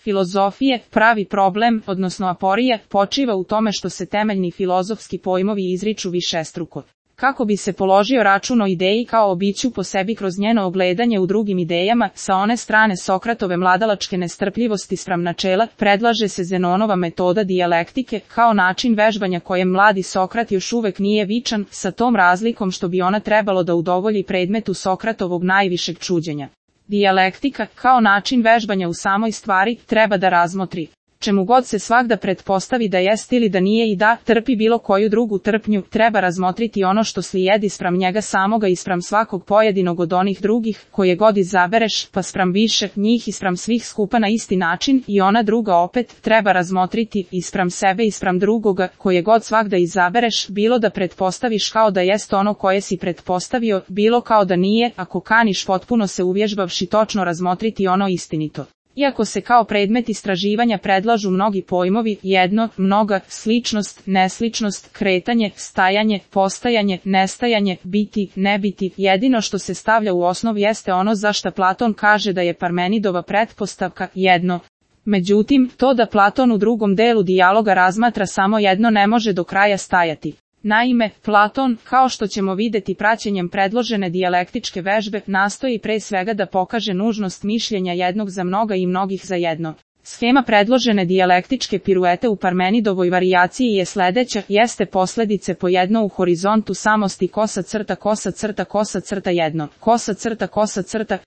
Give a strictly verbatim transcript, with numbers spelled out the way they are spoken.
filozofije, pravi problem, odnosno aporija, počiva u tome što se temeljni filozofski pojmovi izriču višestruko. Kako bi se položio račun o ideji kao o biću po sebi kroz njeno ogledanje u drugim idejama, sa one strane Sokratove mladalačke nestrpljivosti spram načela, predlaže se Zenonova metoda dijalektike, kao način vežbanja kojem mladi Sokrat još uvek nije vičan, sa tom razlikom što bi ona trebalo da udovolji predmetu Sokratovog najvišeg čuđenja. Dijalektika, kao način vežbanja u samoj stvari, treba da razmotri, čemu god se svagda pretpostavi da jest ili da nije i da trpi bilo koju drugu trpnju, treba razmotriti ono što slijedi spram njega samoga i spram svakog pojedinog od onih drugih, koje god izabereš, pa spram više njih i spram svih skupa na isti način, i ona druga opet treba razmotriti i spram sebe i spram drugoga, koje god svagda izabereš, bilo da pretpostaviš kao da jest ono koje si pretpostavio, bilo kao da nije, ako kaniš potpuno se uvježbavši točno razmotriti ono istinito. Iako se kao predmet istraživanja predlažu mnogi pojmovi, jedno, mnoga, sličnost, nesličnost, kretanje, stajanje, postajanje, nestajanje, biti, ne biti, jedino što se stavlja u osnov jeste ono za šta Platon kaže da je Parmenidova pretpostavka, jedno. Međutim, to da Platon u drugom delu dijaloga razmatra samo jedno ne može do kraja stajati. Naime, Platon, kao što ćemo videti praćenjem predložene dijalektičke vežbe, nastoji pre svega da pokaže nužnost mišljenja jednog za mnoga i mnogih za jedno. Schema predložene dijalektičke piruete u Parmenidovoj varijaciji je sledeća, jeste posledice po jedno u horizontu samosti kosa crta kosa crta kosa crta jedno, kosa crta kosa crta,